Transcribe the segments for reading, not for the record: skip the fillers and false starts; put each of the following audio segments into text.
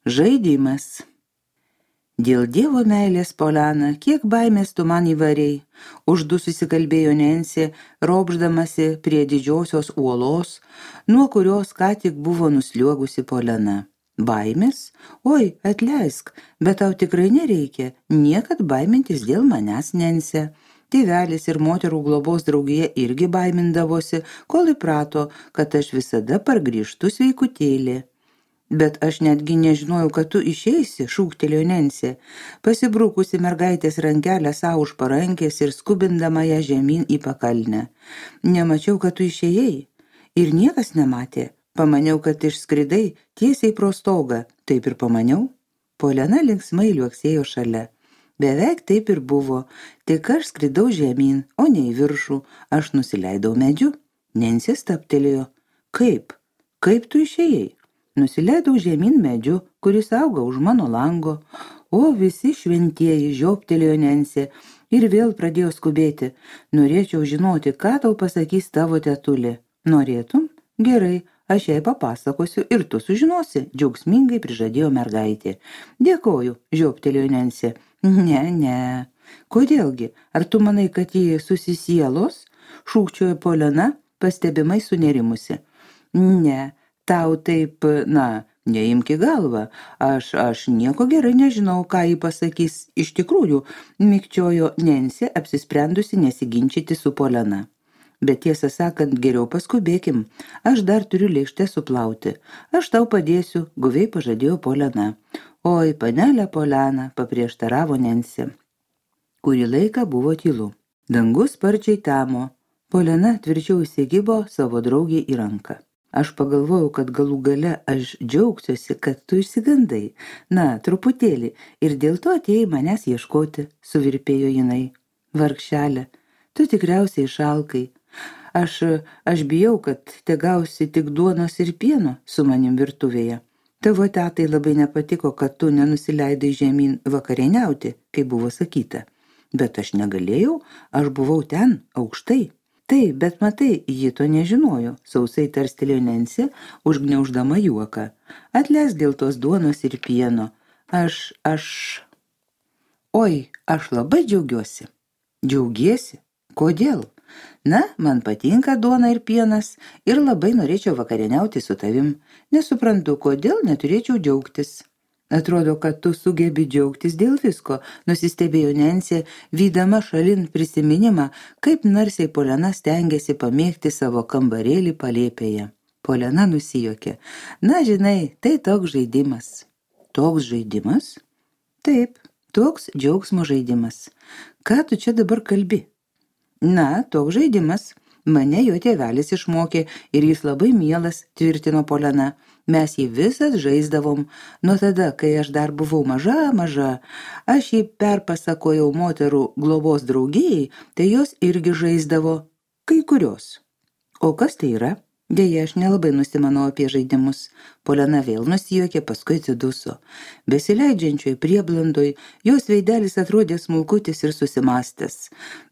Žaidimas. Dėl Dievo meilės, Poliana, kiek baimės tu man įvarei, uždu susikalbėjo Nensi, ropždamasi prie didžiosios uolos, nuo kurios ką tik buvo nusliuogusi Poliana. Baimės? Oi, atleisk, bet tau tikrai nereikia niekad baimintis dėl manęs, Nensi. Tėvelis ir moterų globos draugija irgi baimindavosi, kol įprato, kad aš visada pargrįžtu sveikutėlė. Bet aš netgi nežinojau, kad tu išeisi, šūktelėjo Nensi, pasibrukusi mergaitės rankelę savo už parankės ir skubindama ją žemyn į pakalnę. Nemačiau, kad tu išėjai. Ir niekas nematė. Pamaniau, kad išskridai tiesiai pro stogą. Taip ir pamaniau. Poliana linksmai liuoksėjo šalia. Beveik taip ir buvo. Tik aš skridau žemyn, o ne į viršų. Aš nusileidau medžiu. Nensi stabtelėjo. Kaip? Kaip tu išėjai? Nusileidau žemyn medžiu, kuris auga už mano lango. O visi šventieji, žioptelėjo Nensi ir vėl pradėjo skubėti. Norėčiau žinoti, ką tau pasakys tavo tetulė. Norėtum? Gerai, aš jai papasakosiu ir tu sužinosi, džiaugsmingai prižadėjo mergaitė. Dėkoju, žioptelėjo Nensi. Ne. Kodėlgi? Ar tu manai, kad jie susisielos? Šūkčiojo Poliana, pastebimai sunerimusi. Ne. Tau taip, neimk į galvą. Aš nieko gerai nežinau, ką jį pasakys. Iš tikrųjų, mikčiojo Nensi, apsisprendusi nesiginčyti su Poliana. Bet tiesą sakant, geriau paskubėkim. Aš dar turiu lėkštę suplauti. Aš tau padėsiu, guviai pažadėjo Poliana. Oi, panelė Poliana, paprieštaravo Nensi. Kurį laiką buvo tylu. Dangus sparčiai tamo. Poliana tvirčiau įsigibo savo draugį į ranką. Aš pagalvojau, kad galų gale aš džiaugsiuosi, kad tu išsigandai. Truputėlį, ir dėl to atėjai manęs ieškoti, suvirpėjo jinai. Vargšelė, tu tikriausiai šalkai. Aš bijau, kad te gausi tik duonos ir pieno su manim virtuvėje. Tavo tetai labai nepatiko, kad tu nenusileidai žemyn vakarieniauti, kaip buvo sakyta. Bet aš negalėjau, aš buvau ten, aukštai. Taip, bet matai, ji to nežinojo, sausai tarstelėjo Nensi, užgniauždama juoką. Atleisk dėl tos duonos ir pieno. Oi, aš labai džiaugiuosi. Džiaugiesi? Kodėl? Man patinka duona ir pienas ir labai norėčiau vakarieniauti su tavim. Nesuprantu, kodėl neturėčiau džiaugtis. Atrodo, kad tu sugebi džiaugtis dėl visko, nusistebėjo Nensi, vydama šalin prisiminimą, kaip narsiai Poliana stengiasi pamėgti savo kambarėlį palėpėje. Poliana nusijuokė. Žinai, tai toks žaidimas. Toks žaidimas? Taip, toks džiaugsmo žaidimas. Ką tu čia dabar kalbi? Toks žaidimas. Mane jo tėvelis išmokė ir jis labai mielas, tvirtino Poliana. Mes jį visas žaisdavom. Nuo tada, kai aš dar buvau maža, aš jį perpasakojau moterų globos draugijai, tai jos irgi žaisdavo. Kai kurios. O kas tai yra? Deja, aš nelabai nusimanau apie žaidimus. Poliana vėl nusijuokė, paskui atsiduso. Besileidžiančioj prieblandoj, jos veidelis atrodė smulkutis ir susimastęs.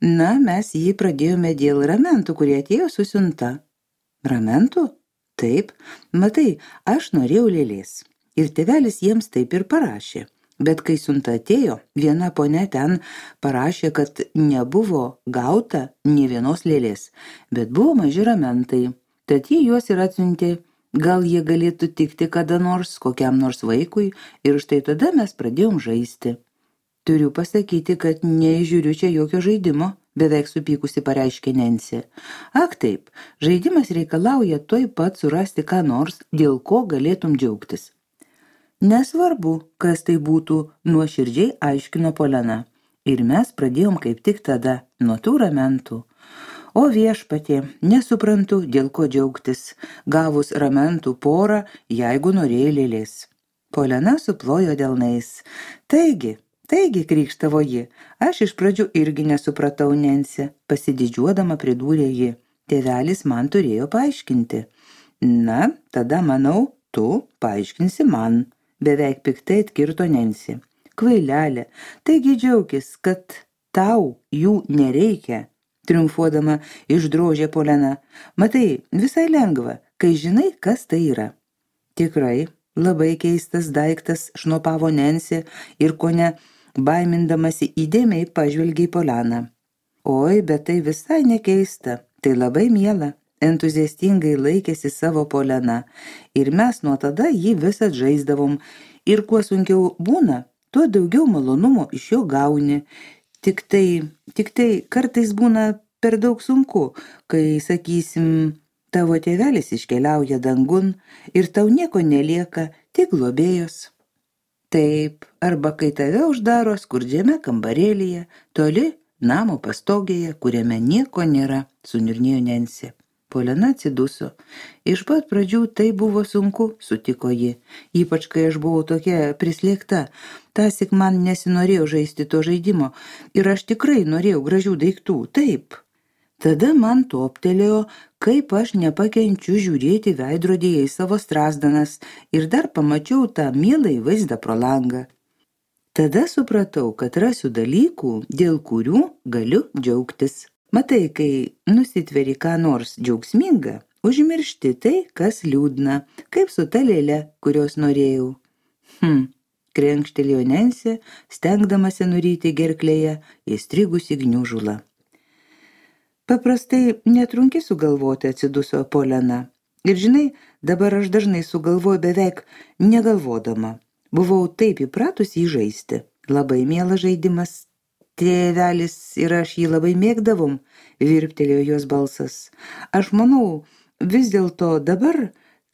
Mes jį pradėjome dėl ramentų, kurie atėjo su siunta. Ramentų? Taip, matai, aš norėjau lėlės. Ir tėvelis jiems taip ir parašė. Bet kai siunta atėjo, viena ponia ten parašė, kad nebuvo gauta nė vienos lėlės, bet buvo maži ramentai. Tad jie juos ir atsiuntė, gal jie galėtų tikti kada nors, kokiam nors vaikui, ir štai tada mes pradėjom žaisti. Turiu pasakyti, kad neįžiūriu čia jokio žaidimo, beveik supykusi pareiškė Nensi. Ak taip, žaidimas reikalauja tuoj pat surasti ką nors, dėl ko galėtum džiaugtis. Nesvarbu, kas tai būtų, nuoširdžiai aiškino Poliana. Ir mes pradėjom kaip tik tada, nuo tų ramentų. O viešpatie, nesuprantu, dėl ko džiaugtis, gavus ramentų porą, jeigu norėjai lėlės. Poliana suplojo delnais. Taigi, krykštavo ji, aš iš pradžių irgi nesupratau, Nensi, pasididžiuodama pridūrė ji. Tėvelis man turėjo paaiškinti. Tada manau, tu paaiškinsi man, beveik piktai atkirto Nensi. Kvailelė, taigi džiaukis, kad tau jų nereikia. Triumfuodama išdrožė Poliana. Matai, visai lengva, kai žinai, kas tai yra. Tikrai, Labai keistas daiktas, šnopavo Nensė ir kone baimindamasi įdėmiai pažvelgė į Polianą. Oi, bet tai visai nekeista, tai labai miela, entuziastingai laikėsi savo Poliana ir mes nuo tada jį visad žaisdavom ir kuo sunkiau būna, tuo daugiau malonumo iš jo gauni. Tik tai kartais būna per daug sunku, kai, sakysim, tavo tėvelis iškeliauja dangun ir tau nieko nelieka, tik globėjos. Taip, arba kai tave uždaro skurdžiame kambarėlyje, toli namo pastogėje, kuriame nieko nėra, suniurnėjo Nensė. Poliana atsiduso. Iš pat pradžių tai buvo sunku, sutiko ji, ypač kai aš buvau tokia prislėgta. Tąsyk man nesinorėjo žaisti to žaidimo ir aš tikrai norėjau gražių daiktų, taip. Tada man toptelėjo, kaip aš nepakenčiu žiūrėti veidrodyje į savo strazdanas ir dar pamačiau tą mielą vaizdą pro langą. Tada supratau, kad rasiu dalykų, dėl kurių galiu džiaugtis. Matai, kai nusitveri ką nors džiaugsminga, užmiršti tai, kas liūdna, kaip su ta lėle, kurios norėjau. Krenkštelėjo Nensė, stengdamasi nuryti gerklėje įstrigusi gniužulą. Paprastai netrunki sugalvoti, atsiduso Poliana. Ir žinai, dabar aš dažnai sugalvoju beveik negalvodama. Buvau taip įpratus jį žaisti. Labai mielas žaidimas. Tėvelis ir aš jį labai mėgdavom, virptelėjo jos balsas. Aš manau, vis dėlto dabar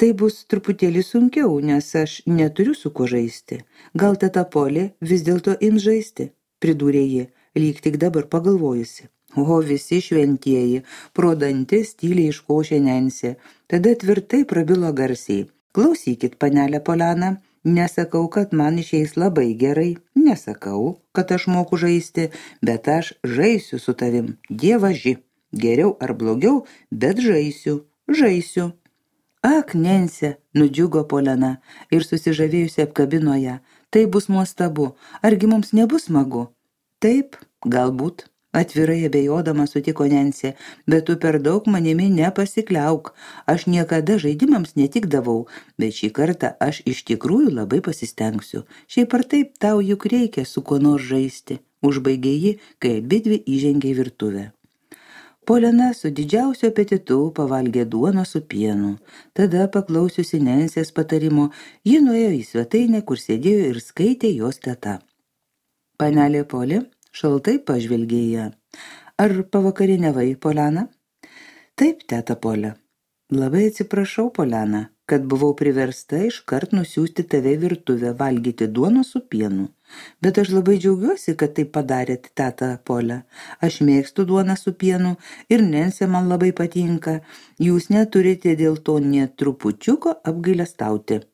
tai bus truputėlį sunkiau, nes aš neturiu su kuo žaisti. Gal teta Polė vis dėlto ims žaisti, pridūrė ji, lyg tik dabar pagalvojusi. O visi šventieji, pro dantis tyliai iškošė Nensė, tada tvirtai prabilo garsiai. Klausykit, panelė Poliana. Nesakau, kad man išeis labai gerai, nesakau, kad aš moku žaisti, bet aš žaisiu su tavim, dievaži, geriau ar blogiau, bet žaisiu. Ak, Nensė, nudžiugo Poliana ir susižavėjusi apkabino ją, tai bus nuostabu, argi mums nebus smagu? Taip, galbūt. Atvirai abejodama sutiko Nensė, bet tu per daug manimi nepasikliauk. Aš niekada žaidimams netikdavau, bet šį kartą aš iš tikrųjų labai pasistengsiu. Šiaip ar taip tau juk reikia su kuo nors žaisti, užbaigė ji, kai abidvi įžengė į virtuvę. Poliana su didžiausiu apetitu pavalgė duoną su pienu. Tada, paklausiusi Nensės patarimo, ji nuėjo į svetainę, kur sėdėjo ir skaitė jos teta. Panelė Polė šaltai pažvelgė ją. Ar pavakarieniavai, Poliana? Taip, teta Polė. Labai atsiprašau, Poliana, kad buvau priversta iškart nusiųsti tave į virtuvę valgyti duoną su pienu. Bet aš labai džiaugiuosi, kad tai padarėt, teta Polė. Aš mėgstu duoną su pienu ir Nensė man labai patinka. Jūs neturite dėl to nė trupučiuko apgailestauti.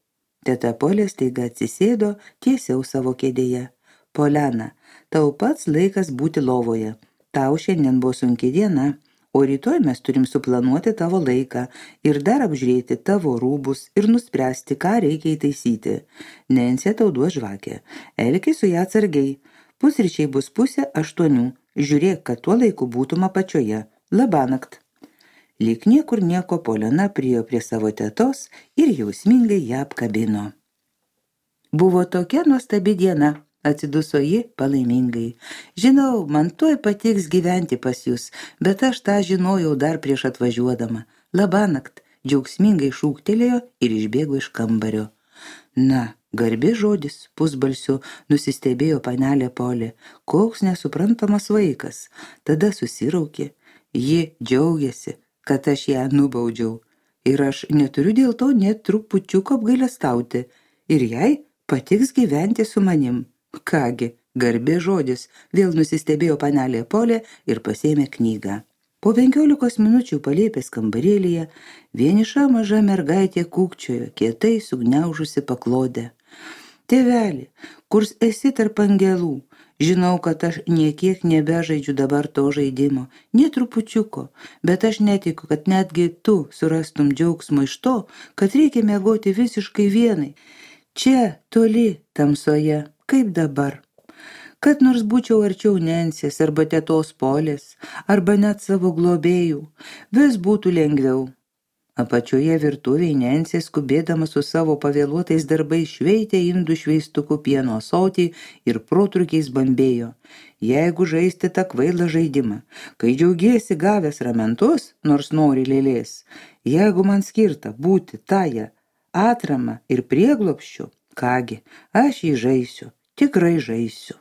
Teta Polė staiga atsisėdo tiesiau savo kėdėje. Poliana, tau pats laikas būti lovoje. Tau šiandien buvo sunki diena, o rytoj mes turim suplanuoti tavo laiką ir dar apžiūrėti tavo rūbus ir nuspręsti, ką reikia įtaisyti. Nensė tau duos žvakę. Elkis su ją atsargiai. Pusryčiai bus 7:30. Žiūrėk, kad tuo laiku būtum apačioje. Labanakt. Lyg niekur nieko Poliana priėjo prie savo tetos ir jausmingai ją apkabino. Buvo tokia nuostabi diena. Atsiduso ji palaimingai. Žinau, man tuoj patiks gyventi pas jūs, bet aš tą žinojau dar prieš atvažiuodama. Labanakt, džiaugsmingai šūktelėjo ir išbėgo iš kambario. Na, garbė žodis, pusbalsiu nusistebėjo panelė Polė. Koks nesuprantamas vaikas. Tada susiraukė. Ji džiaugiasi, kad aš ją nubaudžiau. Ir aš neturiu dėl to net trupučiuko apgailestauti. Ir jai patiks gyventi su manim. Kągi, garbė žodis, vėl nusistebėjo panelė Polė ir pasėmė knygą. Po 15 minučių palėpės kambarėlyje vieniša maža mergaitė kūkčiojo, kietai sugniaužusi paklodę. Tėveli, kur esi tarp angelų? Žinau, kad aš niekiek nebežaidžiu dabar to žaidimo, nė trupučiuko, bet aš netikiu, kad netgi tu surastum džiaugsmo iš to, kad reikia miegoti visiškai vienai. Čia, toli, tamsoje. Kaip dabar? Kad nors būčiau arčiau Nensės arba tetos Polės, arba net savo globėjų, vis būtų lengviau. Apačioje virtuvėje Nensė, skubėdama su savo pavėluotais darbais, šveitė indų šveistuku pieno ąsotį ir protrukiais bambėjo. Jeigu žaisti tą kvailą žaidimą, kai džiaugiesi gavęs ramentus, nors nori lėlės, jeigu man skirta būti tąją atramą ir prieglobsčiu, kągi, aš jį žaisiu, tikrai žaisiu.